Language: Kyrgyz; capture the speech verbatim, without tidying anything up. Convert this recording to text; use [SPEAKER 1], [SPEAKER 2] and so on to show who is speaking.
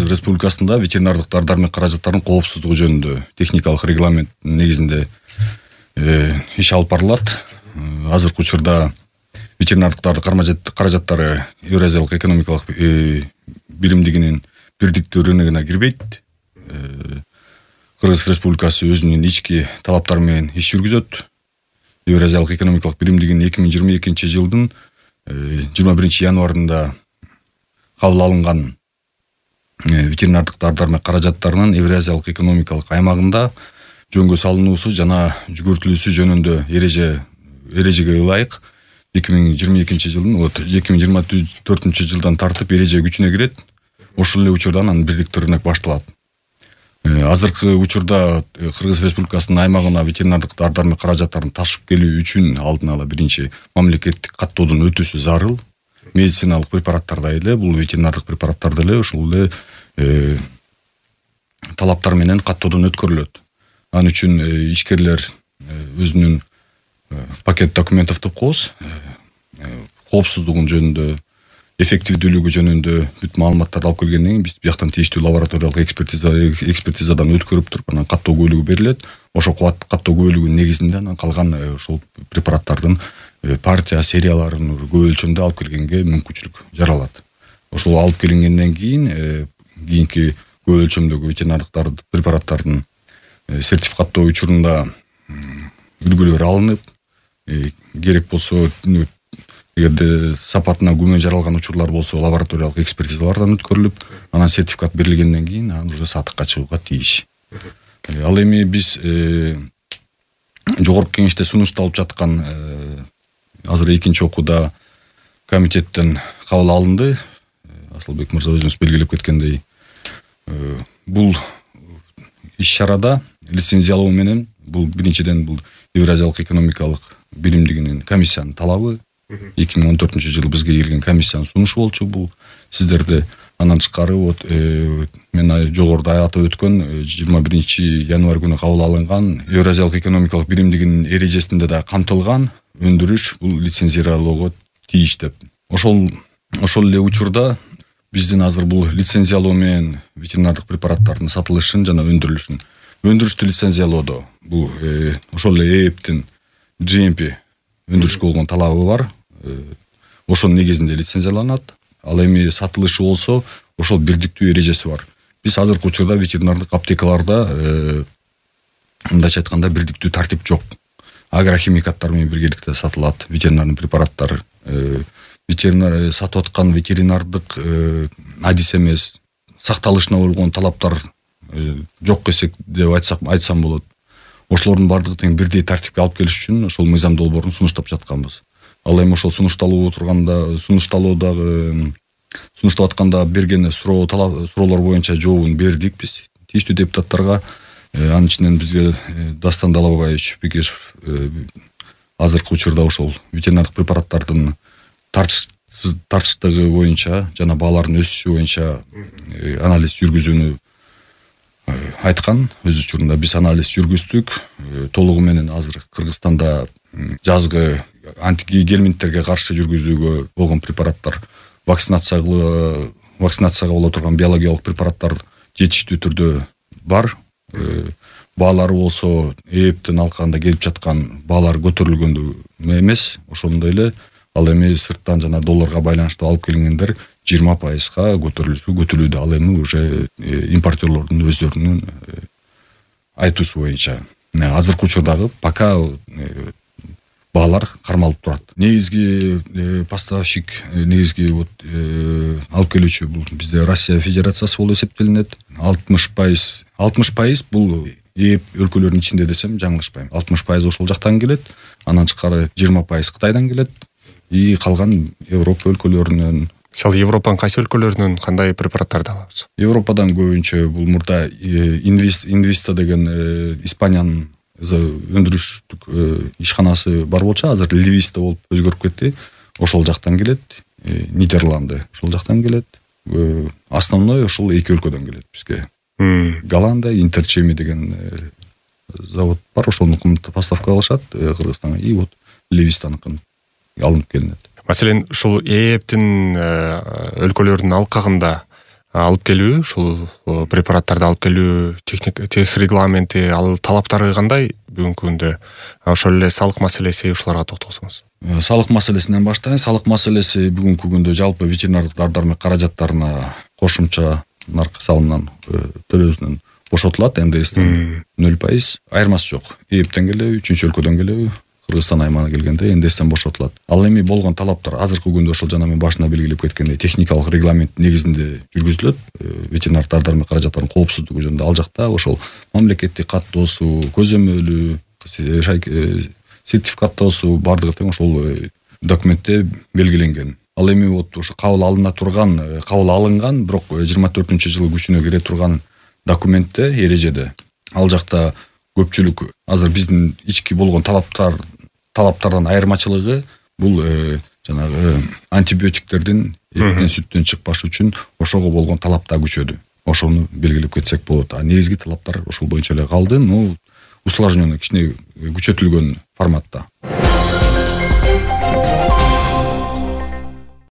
[SPEAKER 1] Республикасында ветеринардык дары-дармек каражаттарынын коопсуздугу жөнүндө техникалык регламент негизинде иш алып барылат. Азыркы учурда ветеринардык дары-дармек каражаттары Евразиялык экономикалык биримдигинин бирдиктүү рыногуна кирбейт. Кыргыз Республикасы өзүнүн ички талаптары менен иш жүргүзөт. Евразиялык экономикалык биримдигинин эки миң жыйырма экинчи жылдын жыйырма биринчи январында кабыл алынган ветеринардык дары-дармек каражаттарынын Евразиялык экономикалык аймагында жөнгө салынуусу жана жүгүртүлүүсү жөнүндө эреже эрежеге ылайык эки миң жыйырма экинчи жылдын эки миң жыйырма төртүнчү жылдан тартып эреже күчүнө кирет. Ошол эле учурда анан бирдиктүү рынок башталат. Азыркы учурда Кыргыз Республикасынын аймагына ветеринардык дары-дармек каражаттарын ташып келүү үчүн алдын ала биринчи мамлекеттик каттоодон өтүүсү зарыл. Медициналык препараттарда эле, бул ветеринардык препараттарда эле ошол эле талаптар менен каттоодон өткөрүлөт. Ал үчүн ишкерлер өзүнүн пакет документов деп коебуз, коопсуздугун жөнүндө, эффективдүүлүгү жөнүндө бүт маалыматтарды алып келгенден кийин биз бияктан тийиштүү лабораториялык экспертиза экспертизадан өткөрүп туруп анан каттоо күбөлүгү берилет. Ошол каттоо күбөлүгүнүн негизинде анан калган ошол препараттардын партия серияларын көп өлчөмдө алып келгенге мүмкүнчүлүк жаралат. Ошол алып келингенден кийин кийинки көп өлчөмдөгү ветеринардык препараттардын сертификаттоо учурунда үлгүлөр алынып, керек болсо эгерде сапатына күмөн жаралган учурлар болсо лабораториялык экспертизалардан өткөрүлүп, анан сертификат берилгенден кийин анан уже сатыкка чыгууга тийиш. Ал эми биз жогорку кеңеште сунушталып жаткан азыр экинчи окууда комитеттен кабыл алынды. Асылбек мырза өзүңүз белгилеп кеткендей, бул иш-чарада лицензиялоо менен бул биринчиден бул Евразиялык экономикалык биримдигинин комиссиянын талабы. эки миң он төртүнчү жылы бизге келген комиссиянын сунушу болчу. Бул сиздерде андан тышкары вот мен жогоруда атап өткөн жыйырма биринчи январь күнү кабыл алынган Евразиялык экономикалык биримдигинин эрежесинде да камтылган өндүрүш бул лицензиялоого тийиш деп. Ошол ошол эле учурда биздин азыр бул лицензиялоо менен ветеринардык препараттардын сатылышын жана өндүрүлүшүн өндүрүштү лицензиялоодо бул ошол эле ЭЭПтин джи эм пи өндүрүшкө болгон талабы бар. Ошонун негизинде лицензияланат. Ал эми сатылышы болсо ошол бирдиктүү эрежеси бар. Биз азыркы учурда ветеринардык аптекаларда мындайча айтканда бирдиктүү тартип жок. Агрохимикаттар менен биргеликте сатылат ветеринардык препараттар. Ветеринар сатып аткан ветеринардык адис эмес, сакталышына болгон талаптар жок десек деп айтсак айтсам болот. Ошолордун бардыгы тең бирдей тартипке алып келиш үчүн ошол мыйзам долбоорун сунуштап жатканбыз. Ал эми ошол сунушталуу турганда, сунушталуудагы сунуштап атканда берген суроо талап суроолор боюнча жообун бердик биз тийиштүү депутаттарга. Анын ичинен бизге Дастан Далабаевич Бекешев азыркы учурда ошол ветеринардык препараттардын тартыштыгы боюнча жана баалардын өсүшү боюнча анализ жүргүзүүнү айткан. Өз учурунда биз анализ жүргүздүк. Толугу менен азыр Кыргызстанда жазгы антигельминттерге каршы жүргүзүүгө болгон препараттар, вакцинация вакцинацияга боло турган биологиялык препараттар жетиштүү түрдө бар. Баалары болсо ЭЭПтин алкагында келип жаткан баалар көтөрүлгөндө эмес. Ошондой эле ал эми сырттан жана долларга байланыштуу алып келингендер жыйырма пайызга көтөрүлүшү көтүлүүдө. Ал эми уже импортерлордун өздөрүнүн айтуусу боюнча. Азыркы учурдагы пока баалар кармалып турат. Негизги поставщик, негизги вот алып келүүчү бул бизде Россия Федерациясы болуп эсептелинет. алтымыш пайыз алтымыш пайыз бул ЭЭП өлкөлөрүнүн ичинде десем жаңылышпайм. алтымыш пайыз ошол жактан келет. Андан тышкары жыйырма пайыз Кытайдан келет. И калган Европа өлкөлөрүнөн.
[SPEAKER 2] Мисалы Европанын кайсы өлкөлөрүнөн кандай препараттарды алабыз?
[SPEAKER 1] Европадан көбүнчө бул мурда Инвиста деген Испаниянын өндүрүштүк ишканасы бар болчу, азыр Ливиста болуп өзгөрүп кетти. Ошол жактан келет. Нидерланды ошол жактан келет. Основной ошол эки өлкөдөн келет бизге. Голландия, Интерчеми деген завод бар, ошонун поставка алышат Кыргызстанга. И вот Ливистаныкын алынып келинет.
[SPEAKER 2] Маселен, ушул ЭЭПтин өлкөлөрдүн алкагында алып келүү, ушул препараттарды алып келүү техник тех регламенти, ал талаптары кандай бүгүнкү күндө? Ошол эле салык маселеси, ушуларга токтолсоңуз.
[SPEAKER 1] Салык маселесинен баштайын. Салык маселеси бүгүнкү күндө жалпы ветеринардык дар-дармек каражаттарына кошумча наркы салымынан төлөөсүнөн бошотулат. эн дэ эстен нөл пайыз. Айырмасы жок. Эптен келеби, үчүнчү өлкөдөн келеби, Кыргызстан аймагына келгенде эн дэ эстен бошотулат. Ал эми болгон талаптар азыркы күндө ошол жана мен башында белгилеп кеткендей техникалык регламент негизинде жүргүзүлөт. Ветеринар дар-дармек каражаттарынын коопсуздугу жөнүндө ал жакта ошол мамлекеттик каттоосу, көзөмөлү, сертификаттоосу бардыгы тең ошол документте белгиленген. Ал эми вот ошо кабыл алына турган, кабыл алынган, бирок жыйырма төртүнчү жылы күчүнө кире турган документте, эрежеде ал жакта көпчүлүк азыр биздин ички болгон талаптар талаптардан айырмачылыгы бул жанагы антибиотиктердин эттен сүттөн чыкпаш үчүн ошого болгон талап да күчөдү. Ошону белгилеп кетсек болот. А негизги талаптар ошол боюнча эле калды. Ну, усложненный, кичине күчөтүлгөн форматта.